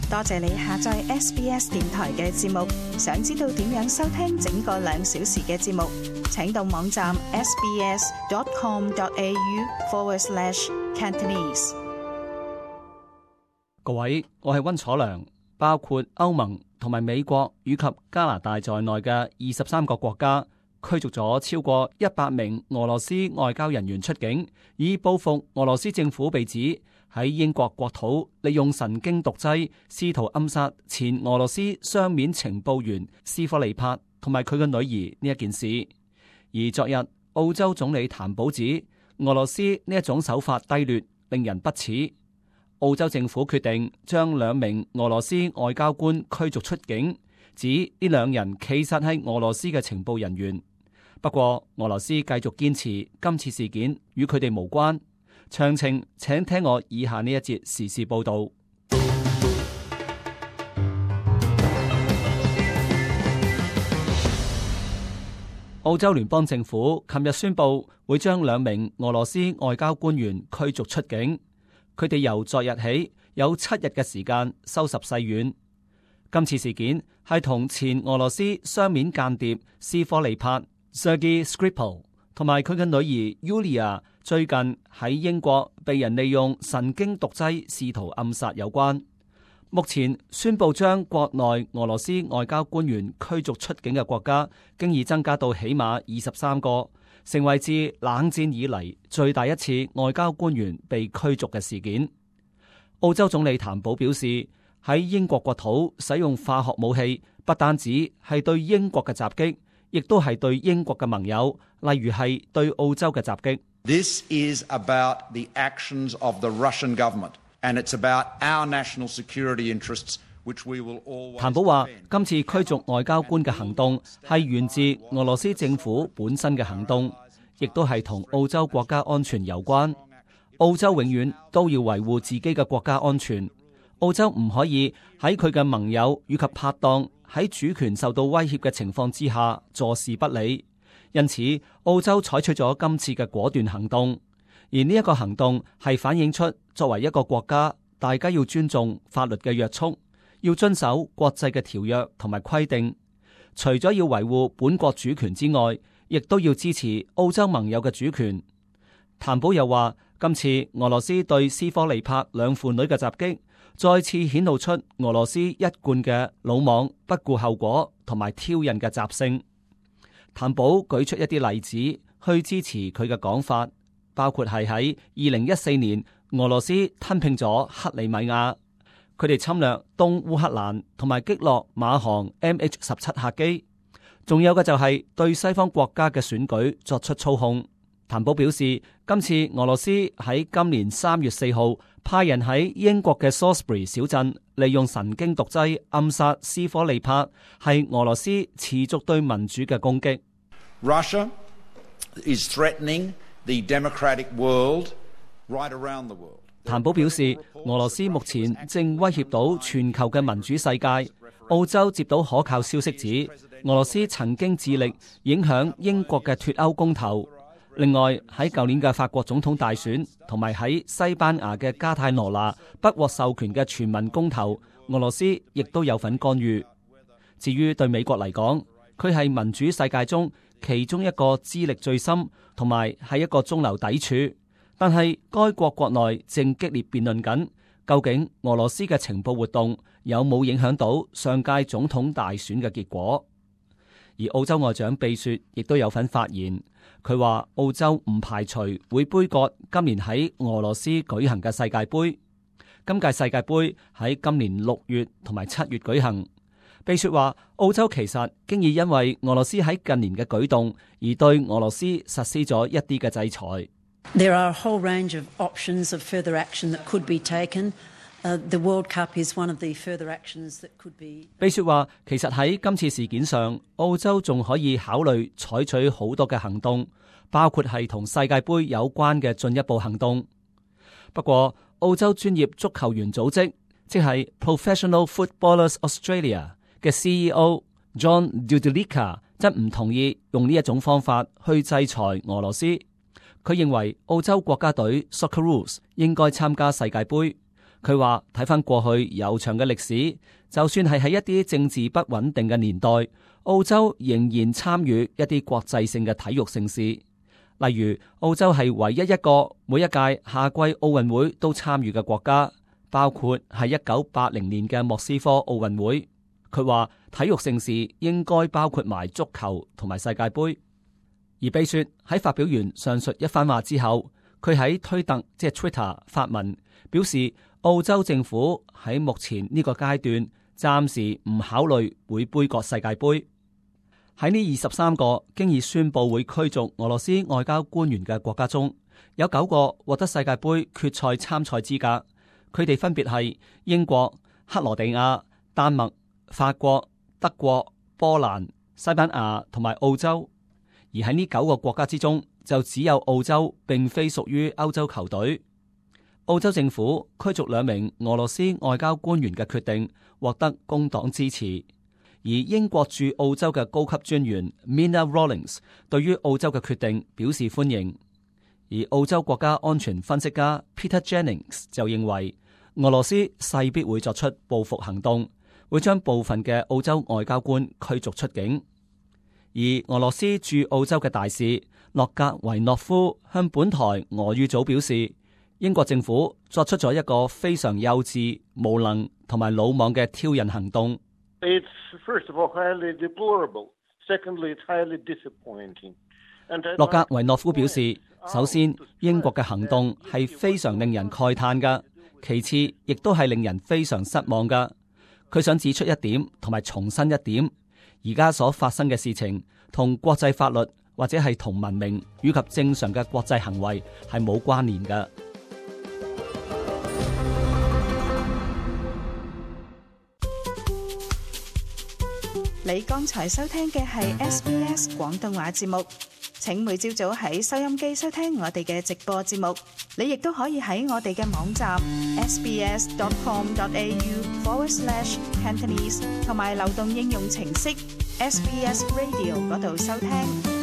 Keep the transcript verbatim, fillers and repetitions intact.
多謝你下載 S B S 電台嘅節目。想知道點樣收聽整個兩小時嘅節目，請到網站 sbs.com.au forward slash Cantonese。各位，我係溫楚良。包括歐盟同埋美國以及加拿大在內嘅二十三個國家驅逐咗超過一百名俄羅斯外交人員出境，以報復俄羅斯政府被指喺英國國土利用神經毒劑試圖暗殺前俄羅斯雙面情報員斯科利帕同埋佢嘅女兒呢一件事。而昨日澳洲總理譚寶指俄羅斯呢一種手法低劣，令人不齒。澳洲政府決定將兩名俄羅斯外交官驅逐出境，指呢兩人其實係俄羅斯嘅情報人員。不過俄羅斯繼續堅持今次事件與佢哋無關。詳情請聽我以下呢一節時事報道。澳洲聯邦政府琴日宣布會將兩名俄羅斯外交官員驅逐出境，佢哋由昨日起有七日嘅時間收拾細軟。今次事件係同前俄羅斯雙面間諜斯科利帕 Sergei Skripal 同埋佢嘅女兒 Yulia 最近喺英國被人利用神經毒劑試圖暗殺有關。目前宣布將國內俄羅斯外交官員驅逐出境嘅國家，經已增加到起碼二十三個，成為自冷戰以嚟最大一次外交官員被驅逐嘅事件。澳洲總理譚寶表示，喺英國國土使用化學武器，不單止係對英國嘅襲擊，亦都係對英國嘅盟友，例如係對澳洲嘅襲擊。This is about the actions of the Russian government, and it's about our national security interests, which we will always defend. 譚寶話，今次驅逐外交官嘅行動係源自俄羅斯政府本身嘅行動，亦都係同澳洲國家安全有關。澳洲永遠都要維護自己嘅國家安全。澳洲唔可以喺佢嘅盟友以及拍檔喺主權受到威脅嘅情況之下坐視不理。因此，澳洲採取咗今次嘅果斷行動，而呢一個行動係反映出作為一個國家，大家要尊重法律嘅約束，要遵守國際嘅條約同埋規定。除咗要維護本國主權之外，亦都要支持澳洲盟友嘅主權。譚寶又話，今次俄羅斯對斯科利帕兩父女嘅襲擊，再次顯露出俄羅斯一貫嘅魯莽、不顧後果同埋挑釁嘅習性。譚寶舉出一啲例子去支持佢嘅講法，包括係喺二零一四年俄羅斯吞併咗克里米亞，佢哋侵略東烏克蘭同埋擊落馬航 M H 十七客機，仲有嘅就係對西方國家嘅選舉作出操控。譚寶表示，今次俄羅斯喺今年三月四號派人喺英國嘅 Salisbury 小鎮利用神經毒劑暗殺斯科利帕，係俄羅斯持續對民主嘅攻擊。Russia is threatening the democratic world right around the world. 譚寶表示，俄羅斯目前正威脅到全球嘅民主世界。澳洲接到可靠消息指，俄羅斯曾經致力影響英國嘅脫歐公投。另外，喺舊年嘅法國總統大選同埋喺西班牙嘅加泰羅拿不獲授權嘅全民公投，俄羅斯亦都有份干預。至於對美國嚟講，佢係民主世界中其中一個資歷最深同埋係一個中流砥柱，但係該國國內正激烈辯論緊，究竟俄羅斯嘅情報活動有冇影響到上屆總統大選嘅結果。而澳洲外長貝雪亦都有份發言，佢話澳洲唔排除會杯葛今年喺俄羅斯舉行嘅世界盃。今屆世界盃喺今年六月同埋七月舉行。貝雪話，澳洲其實經已因為俄羅斯喺近年嘅舉動而對俄羅斯實施咗一啲嘅制裁。There are a whole range of options of further action that could be taken. Uh, the World Cup is one of the further actions that could be. 貝雪話，其實喺今次事件上，澳洲仲可以考慮採取好多嘅行動，包括係同世界盃有關嘅進一步行動。不過，澳洲專業足球員組織，即係 Professional Footballers Australia 嘅 C E O John Dudulika 則唔同意用呢一種方法去制裁俄羅斯。佢認為澳洲國家隊 Socceroos 應該參加世界盃。佢話睇返過去悠長嘅歷史，就算係喺一啲政治不穩定嘅年代，澳洲仍然參與一啲國際性嘅體育盛事。例如，澳洲係唯一一個每一屆夏季奧運會都參與嘅國家，包括係一九八零年嘅莫斯科奧運會。佢話體育盛事應該包括埋足球同埋世界盃。而比雪喺發表完上述一番話之後，佢喺推特即係 Twitter 發文表示，澳洲政府喺目前呢個階段暫時唔考慮會杯葛世界盃。喺呢二十三個經已宣布會驅逐俄羅斯外交官員嘅國家中，有九個獲得世界盃決賽參賽資格。佢哋分別係英國、克羅地亞、丹麥、法國、德國、波蘭、西班牙同埋澳洲。而喺呢九個國家之中，就只有澳洲並非屬於歐洲球隊。澳洲政府驅逐兩名俄羅斯外交官員嘅決定獲得工黨支持，而英國駐澳洲嘅高級專員 Mina Rawlings 對於澳洲嘅決定表示歡迎。而澳洲國家安全分析家 Peter Jennings 就認為，俄羅斯勢必會作出報復行動，會將部分嘅澳洲外交官驅逐出境。而俄羅斯駐澳洲嘅大使洛格維諾夫向本台俄語組表示，英國政府作出咗一個非常幼稚、無能同埋魯莽嘅挑釁行動。It's first of all highly deplorable. Secondly, it's highly disappointing. 洛格維諾夫表示，首先英國嘅行動係非常令人慨嘆㗎，其次亦都係令人非常失望㗎。佢想指出一點同埋重申一點，而家所發生嘅事情同國際法律或者係同文明以及正常嘅國際行為係冇關聯㗎。你剛才收聽嘅係 S B S 廣東話節目，請每朝早喺收音機收聽我哋嘅直播節目。你亦都可以喺我哋嘅網站 sbs.com.au forward slash Cantonese 同埋流動應用程式 S B S Radio 嗰度收聽。